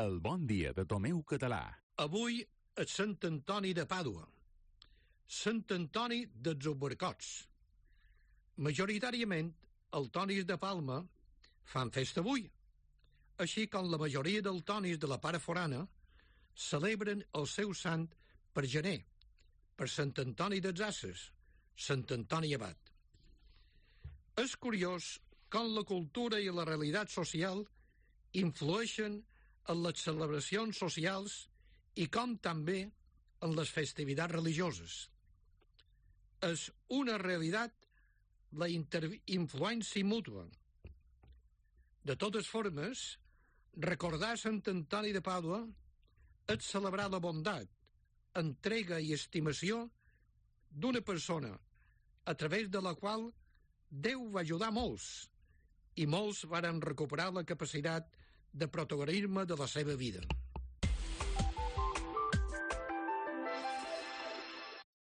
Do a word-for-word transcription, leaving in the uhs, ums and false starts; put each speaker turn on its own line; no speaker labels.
El bon dia de Tomeu Català.
Avui és Sant Antoni de Pàdua, Sant Antoni dels Albercots. Majoritàriament, els tonis de Palma fan festa avui, així com la majoria dels tonis de la part forana celebren el seu sant per gener, per Sant Antoni dels Ases, Sant Antoni Abat. És curiós com la cultura i la realitat social influeixen en les celebracions socials i com també en les festivitats religioses. És una realitat la influència mútua. De totes formes, recordar Sant Antoni de Pàdua és celebrar la bondat, entrega i estimació d'una persona a través de la qual Déu va ajudar molts i molts varen recuperar la capacitat de protagonisme de la seva vida.